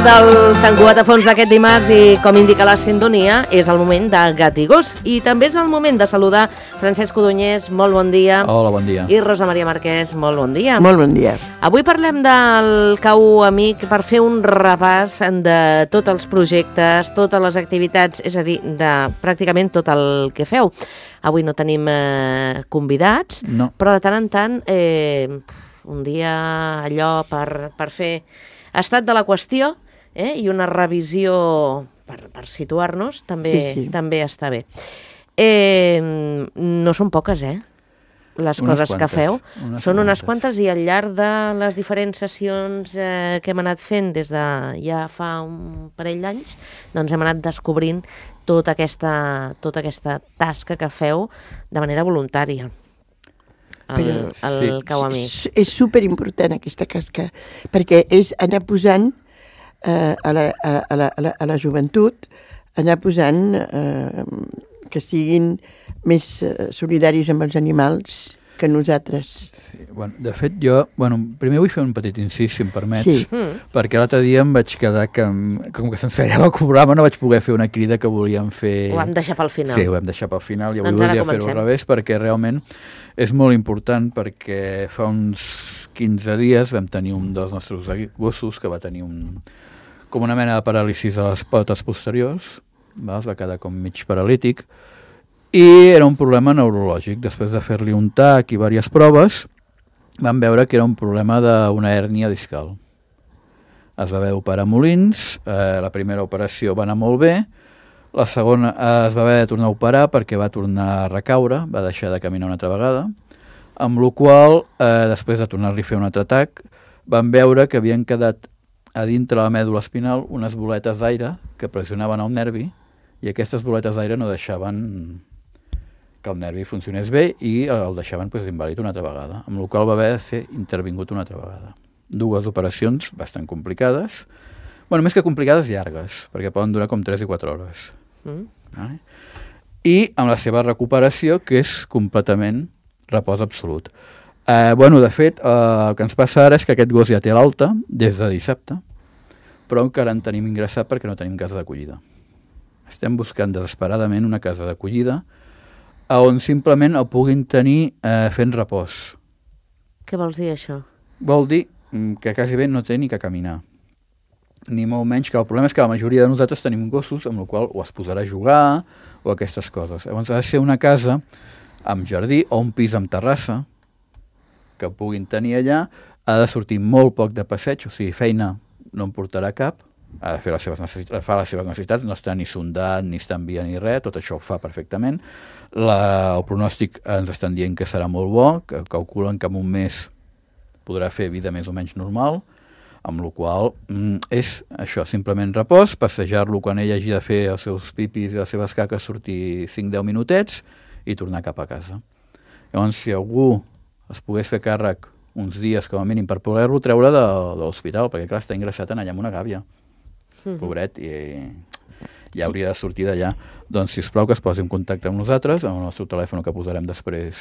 del Sant Cugat a fons d'aquest dimarts i, com indica la sintonia, és el moment de Gat i Gos. I també és el moment de saludar Francesc Codonyés, molt bon dia. Hola, bon dia. I Rosa Maria Marquès, molt bon dia. Molt bon dia. Avui parlem del Cau Amic per fer un repàs de tots els projectes, totes les activitats, és a dir, de pràcticament tot el que feu. Avui no tenim convidats, No. però de tant en tant, un dia allò per fer estat de la qüestió i una revisió per situar-nos també està bé. No són poques, les coses que feu. Són unes quantes i al llarg de les diferents sessions que hem anat fent des de ja fa un parell d'anys, doncs hem anat descobrint tota aquesta tasca que feu de manera voluntària. El Cau Amic. És superimportant aquesta tasca, perquè és anar posant a la joventut, anar posant que siguin més solidaris amb els animals que nosaltres. Sí, de fet, jo primer vull fer un petit incís, si em permets, Sí. perquè l'altre dia em vaig quedar que, com que s'ensellava el programa, no vaig poder fer una crida que volíem fer... Ho vam deixar pel final. Sí, ho vam deixar pel final, i avui Doncs ara volia fer-ho comencem. al revés, perquè realment és molt important, perquè fa uns 15 dies vam tenir un dels nostres gossos que va tenir com una mena de paràlisi a les potes posteriors, es va quedar com mig paralític, i era un problema neurològic. Després de fer-li un TAC i diverses proves, vam veure que era un problema d'una hèrnia discal. Es va haver d'operar Molins, la primera operació va anar molt bé, la segona es va haver de tornar a operar perquè va tornar a recaure, va deixar de caminar una altra vegada, amb la qual després de tornar-li a fer un altre TAC, vam veure que havien quedat a dintre la mèdula espinal unes boletes d'aire que pressionaven el nervi, i aquestes boletes d'aire no deixaven que el nervi funcionés bé i el deixaven invàlid una altra vegada, amb la qual va haver de ser intervingut una altra vegada. Dues operacions bastant complicades, més que complicades, llargues, perquè poden durar com 3 i 4 hores. Vale? I amb la seva recuperació, que és completament repòs absolut. De fet, el que ens passa ara és que aquest gos ja té l'alta des de dissabte, però encara en tenim ingressat perquè no tenim casa d'acollida. Estem buscant desesperadament una casa d'acollida on simplement el puguin tenir fent repòs. Què vols dir, això? Vol dir que quasi bé no té ni que caminar, ni molt menys, que el problema és que la majoria de nosaltres tenim gossos amb el qual o es posarà a jugar o aquestes coses. Llavors ha de ser una casa amb jardí o un pis amb terrassa que puguin tenir allà. Ha de sortir molt poc de passeig, o sigui, feina no en portarà cap, ha de fer les seves necessitats, no està ni sondat, ni està en via ni res, tot això ho fa perfectament. El pronòstic ens estan dient que serà molt bo, que calculen que en un mes podrà fer vida més o menys normal, amb la qual és això, simplement repòs, passejar-lo quan ell hagi de fer els seus pipis i les seves caques, sortir 5-10 minutets i tornar cap a casa. Llavors, si algú es pogués fer càrrec uns dies com a mínim per poder-lo treure de l'hospital, perquè clar, està ingressat allà amb una gàbia, pobret, i ja hauria de sortir d'allà. Doncs, sisplau, que es posi en contacte amb nosaltres, amb el nostre telèfon que posarem després.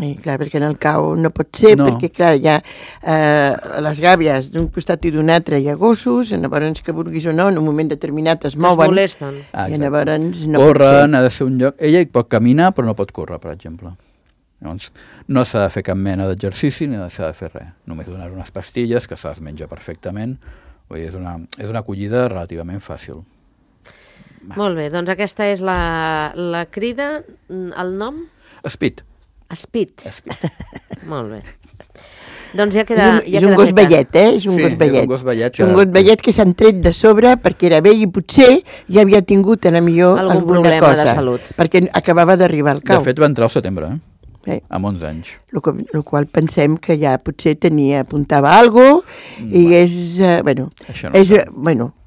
I clar, perquè en el Cau no pot ser, perquè clar, hi ha les gàbies d'un costat i d'un altre, hi ha gossos, llavors que vulguis o no, en un moment determinat es mouen. Es molesten. I llavors no corren, ha de ser un lloc... Ella hi pot caminar, però no pot córrer, per exemple. Llavors, no s'ha de fer cap mena d'exercici ni s'ha de fer res. Només donar unes pastilles que se les menja perfectament. Vull dir, és una acollida relativament fàcil. Molt bé, doncs aquesta és la crida, el nom? Speed. Speed. Molt bé. Doncs ja queda feta. És un gos vellet, És un gos vellet. És un gos vellet que s'han tret de sobre perquè era vell i potser ja havia tingut millor algun alguna problema cosa, de salut. perquè acabava d'arribar al Cau. De fet, va entrar al setembre, amb 11 anys. El qual pensem que ja potser apuntava alguna cosa i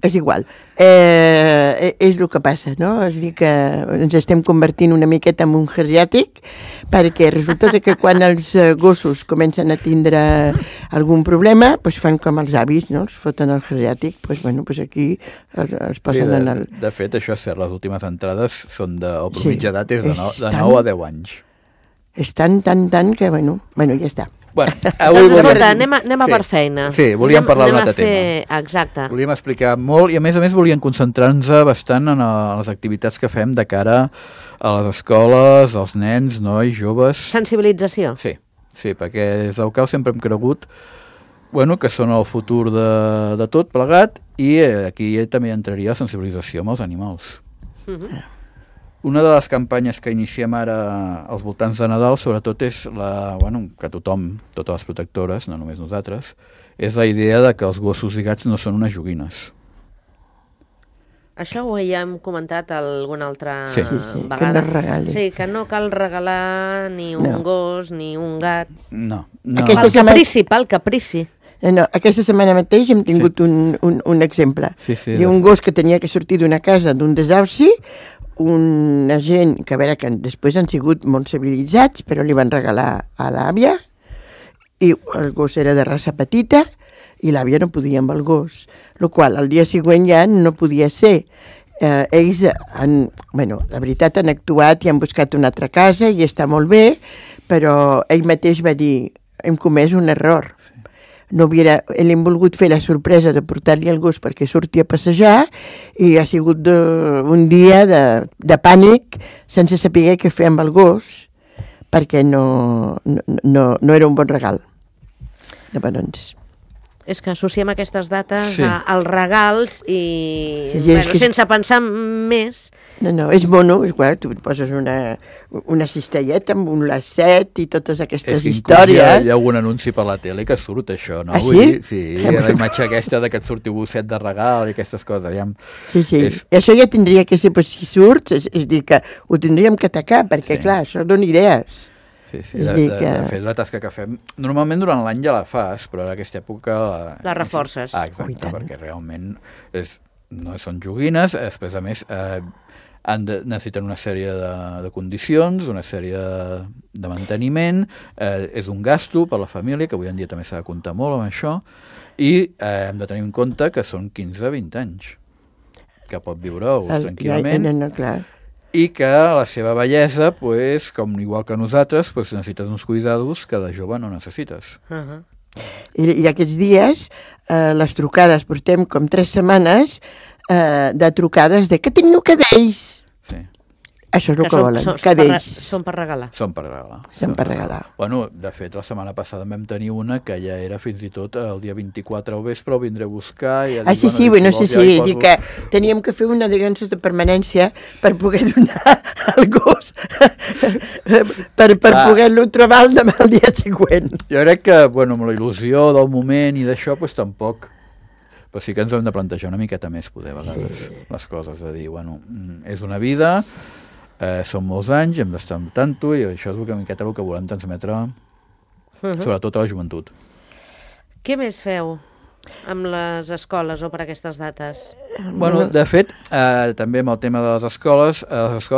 és igual. És el que passa, no? És a dir, que ens estem convertint una miqueta en un geriàtric, perquè resulta que quan els gossos comencen a tindre algun problema, fan com els avis, no? Els foten al geriàtric, aquí els posen en el... De fet, això és cert, les últimes entrades són mitja edat és de 9 a 10 anys. És tant que, ja està. Bueno, doncs escolta, anem a per feina. Sí, volíem parlar d'un altre tema. Exacte. Volíem explicar molt i a més volíem concentrar-nos bastant en les activitats que fem de cara a les escoles, als nens, nois, joves. Sensibilització. Sí, perquè des del CAU sempre hem cregut que són el futur de tot plegat i aquí també entraria la sensibilització amb els animals. Una de les campanyes que iniciem ara als voltants de Nadal, sobretot, és que tothom, totes les protectores, no només nosaltres, és la idea de que els gossos i gats no són unes joguines. Això ho ja hem comentat alguna altra vegada. Que no regali. Sí, que no cal regalar ni un gos ni un gat. No. Pel caprici. No, aquesta setmana mateix hem tingut un exemple. Hi ha un gos que tenia que sortir d'una casa d'un desahuci, una gent que, a veure, que després han sigut molt civilitzats, però li van regalar a l'àvia, i el gos era de raça petita, i l'àvia no podia amb el gos, el qual el dia següent ja no podia ser. Ells, la veritat, han actuat i han buscat una altra casa, i està molt bé, però ell mateix va dir, hem comès un error. Hem volgut fer la sorpresa de portar-li el gos perquè surti a passejar i ha sigut un dia de pànic sense saber què fer amb el gos perquè no era un bon regal. Doncs... És que associem aquestes dates als regals i sense pensar més. No, és mono, és clar, tu et poses una cistelleta amb un lacet i totes aquestes històries. Hi ha algun anunci per la tele que surt això, no? Ah, sí? Sí, la imatge aquesta de que et surti un gosset de regal i aquestes coses. Sí, i això ja tindria que ser, si surt, és dir, que ho tindríem que atacar, perquè clar, això dona idees. Sí, de fet, la tasca que fem, normalment durant l'any ja la fas, però en aquesta època... La reforces. Exacte, perquè realment no són joguines, després a més necessiten una sèrie de condicions, una sèrie de manteniment, és un gasto per la família, que avui en dia també s'ha de comptar molt amb això, i hem de tenir en compte que són 15-20 anys, que pot viure tranquil·lament. No, clar. I que la seva bellesa, com igual que nosaltres, necessites uns cuidados que de jove no necessites. I aquests dies, les trucades, portem com 3 setmanes de trucades de que tinc cadells. Sí. Això és el que volen, cadells. Són per regalar. Són per regalar. Són per regalar. Bueno, de fet, la setmana passada vam tenir una que ja era fins i tot el dia 24 al vespre, ho vindré a buscar... I sí, és dir que teníem que fer una de permanència per poder donar al gos, per poder-lo trobar el dia següent. Jo crec que, amb la il·lusió del moment i d'això, tampoc... Però sí que ens hem de plantejar una miqueta més, poder, a vegades, les coses, de dir, és una vida... són molts anys, hem d'estar amb tanto i això és una miqueta el que volem transmetre sobretot a la joventut. Què més feu amb les escoles o per aquestes dates? De fet, també amb el tema de les escoles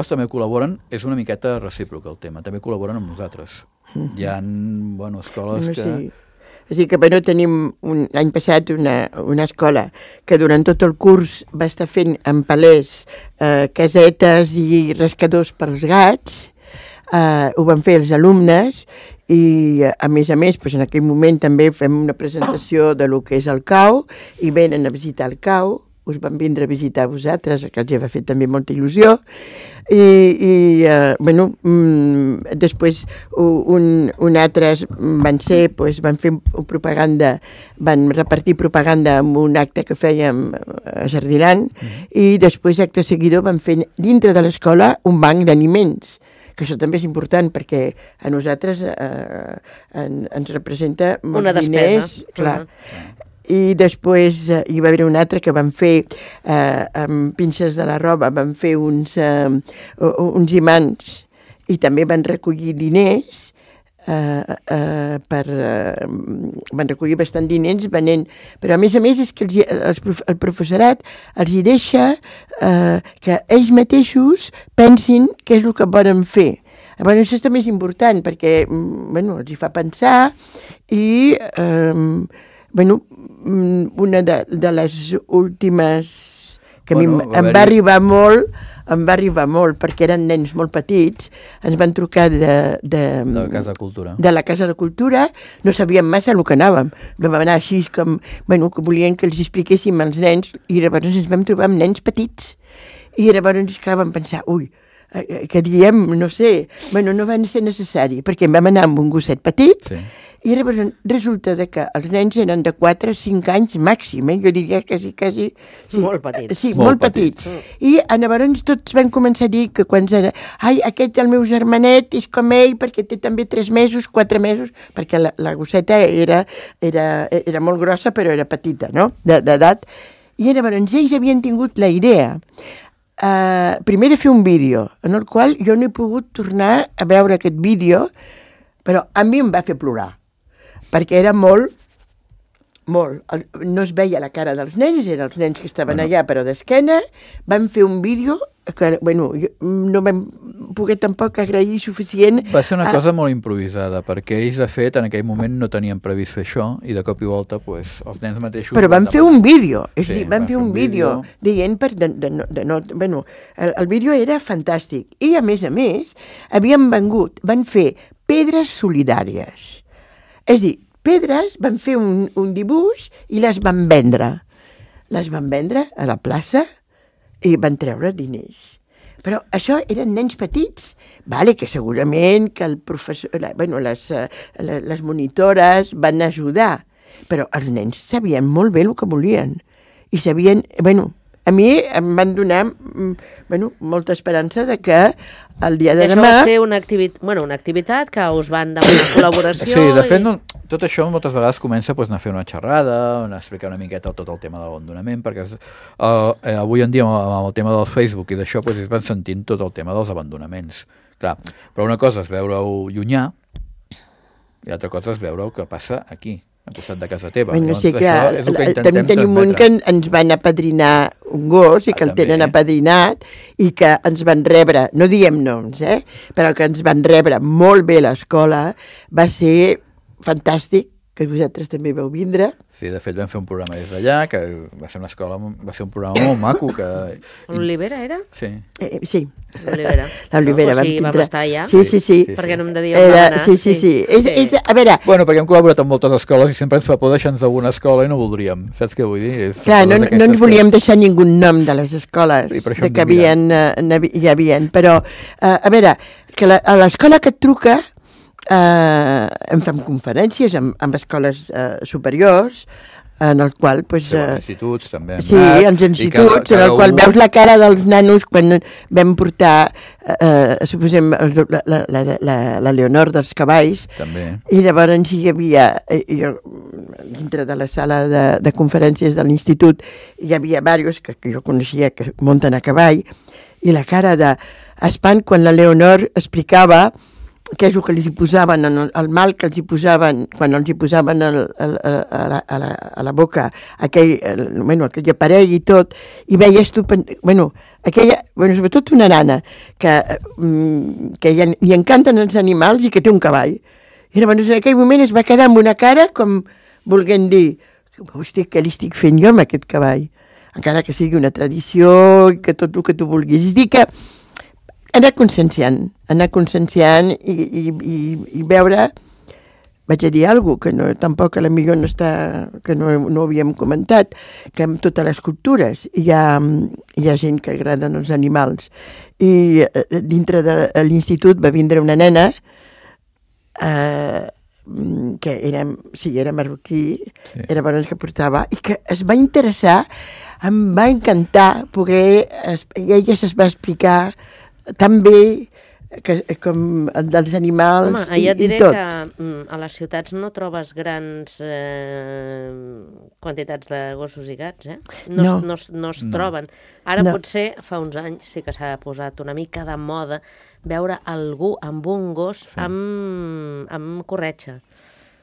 també col·laboren, és una miqueta recíproc el tema, també col·laboren amb nosaltres. Hi ha escoles que... És a dir, que tenim l'any passat una escola que durant tot el curs va estar fent en palers casetes i rascadors pels gats, ho van fer els alumnes i a més, en aquell moment també fem una presentació de lo que és el CAU i venen a visitar el CAU, us van vindre a visitar a vosaltres, que els va fer també molta il·lusió, i després un altres van fer propaganda, van repartir propaganda en un acte que fèiem a Jardiland, i després, acte seguidor, van fer dintre de l'escola un banc d'aliments, que això també és important perquè a nosaltres ens representa molts diners. Clar. I després hi va haver un altre que van fer amb pinces de la roba, van fer uns imants i també van recollir diners, van recollir bastant diners venent, però a més és que el professorat els hi deixa que ells mateixos pensin què és el que volen fer. Això també és important perquè els hi fa pensar i una de les últimes que em va arribar molt em va arribar molt, perquè eren nens molt petits, ens van trucar de la Casa de Cultura. De la Casa de Cultura, no sabíem massa el que anàvem. Vam anar així com, bueno, que volien que els expliquéssim als nens, i llavors ens vam trobar amb nens petits. I llavors, clar, vam pensar, que diem, no sé, bueno, no va ser necessari, perquè vam anar amb un gosset petit, i llavors resulta que els nens eren de 4 a 5 anys màxim, jo diria quasi... Sí, molt petits. Sí, molt petits. I llavors tots van començar a dir que quan era, aquest el meu germanet és com ell perquè té també 3 mesos, 4 mesos, perquè la gosseta era molt grossa però era petita, no?, d'edat. I llavors ells havien tingut la idea primer de fer un vídeo, en el qual jo no he pogut tornar a veure aquest vídeo, però a mi em va fer plorar, perquè era molt, no es veia la cara dels nens, eren els nens que estaven allà, però d'esquena, van fer un vídeo que, bueno, no vam poder tampoc agrair suficient. Va ser una cosa molt improvisada, perquè ells, de fet, en aquell moment no tenien previst fer això, i de cop i volta, pues, els nens mateixos... Però van fer un vídeo, és a dir, van fer un vídeo dient bueno, el vídeo era fantàstic, i a més, van fer pedres solidàries. És a dir, pedres, van fer un dibuix i les van vendre. Les van vendre a la plaça i van treure diners. Però això eren nens petits, que segurament que el professor, les monitores van ajudar, però els nens sabien molt bé el que volien i sabien, a mi em van donar molta esperança de que el dia de demà... Això va ser una activitat que us van demanar col·laboració... Sí, de fet, tot això moltes vegades comença a fer una xerrada, a explicar una miqueta tot el tema de l'abandonament, perquè avui en dia amb el tema del Facebook i d'això es van sentint tot el tema dels abandonaments. Clar, però una cosa és veure-ho llunyà i l'altra cosa és veure el que passa aquí, al costat de casa teva. Sí, clar, també tenim un que ens van apadrinar un gos i que el tenen apadrinat i que ens van rebre, no diem noms, però que ens van rebre molt bé a l'escola, va ser fantàstic, que vosaltres també vau vindre. Sí, de fet vam fer un programa des d'allà, que va ser una escola, va ser un programa molt maco. L'Olivera era? Sí. Sí. L'Olivera. L'Olivera vam tindre. Vam estar allà? Sí. Perquè no em de dir on vam anar. Sí. A veure... Bueno, perquè hem col·laborat amb moltes escoles i sempre ens fa por deixar-nos d'alguna escola i no voldríem. Saps què vull dir? Clar, no ens volíem deixar ningú nom de les escoles que hi havia. Però, a veure, que a l'escola que et truca em fem conferències amb escoles superiors en el qual els instituts també sí, els instituts en el qual veus la cara dels nanos quan vam portar suposem la Leonor dels cavalls també. I llavors hi havia dintre de la sala de conferències de l'institut hi havia diversos que jo coneixia que munten a cavall i la cara d'espant quan la Leonor explicava què és el que els hi posaven, el mal que els hi posaven, quan els hi posaven a la boca aquell aparell i tot, i veies tu, sobretot una nana, que li encanten els animals i que té un cavall. I llavors en aquell moment es va quedar amb una cara com volent dir, hosti, què li estic fent jo amb aquest cavall? Encara que sigui una tradició i que tot el que tu vulguis. És dir que anar conscienciant i veure, vaig a dir alguna cosa, que tampoc potser no està, que no havíem comentat, que en totes les cultures hi ha gent que agraden els animals. I dintre de l'institut va vindre una nena que era marroquí, era bona que portava, i que es va interessar, em va encantar poder, i ella es va explicar tan bé com dels animals. Home, ja et diré que a les ciutats no trobes grans quantitats de gossos i gats, no es troben. Ara potser fa uns anys sí que s'ha posat una mica de moda veure algú amb un gos amb corretja.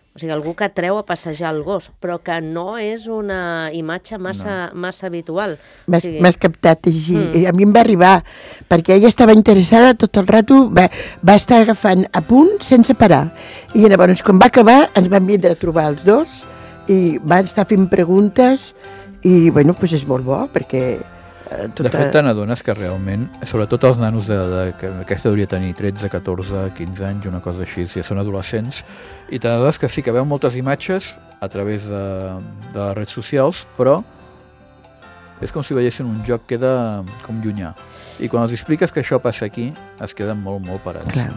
O sigui, algú que treu a passejar el gos, però que no és una imatge massa habitual. M'has captat així. A mi em va arribar, perquè ella estava interessada tot el rato, va estar agafant a punt sense parar. I llavors, quan va acabar, ens vam vindre a trobar els dos i van estar fent preguntes i, és molt bo, perquè De fet, te n'adones que realment, sobretot els nanos que aquesta hauria de tenir 13, 14, 15 anys, una cosa així, si són adolescents, i te n'adones que sí que veuen moltes imatges a través de les redes socials, però és com si veiessin un joc que queda com llunyà. I quan els expliques que això passa aquí, es queden molt, molt parats. Clar.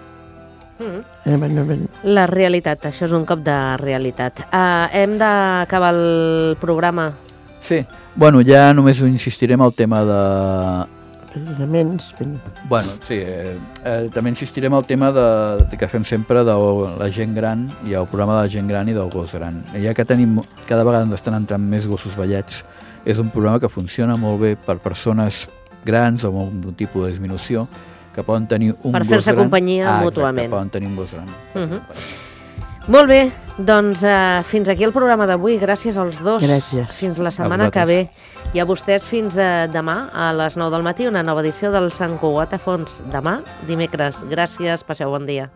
La realitat, això és un cop de realitat. Hem d'acabar el programa. Sí, bueno, ja només insistirem al tema de... Bueno, sí, també insistirem al tema que fem sempre de la gent gran i el programa de la gent gran i del gos gran. Ja que tenim, cada vegada ens estan entrant més gossos vellets, és un programa que funciona molt bé per persones grans o amb algun tipus de disminució que poden tenir un gos gran. Per fer-se companyia mútuament. Exacte, poden tenir un gos gran. Molt bé, doncs fins aquí el programa d'avui. Gràcies als dos. Gràcies. Fins la setmana que ve. I a vostès fins demà a les 9 del matí, una nova edició del Sant Cugat a Fons. Demà, dimecres. Gràcies, passeu bon dia.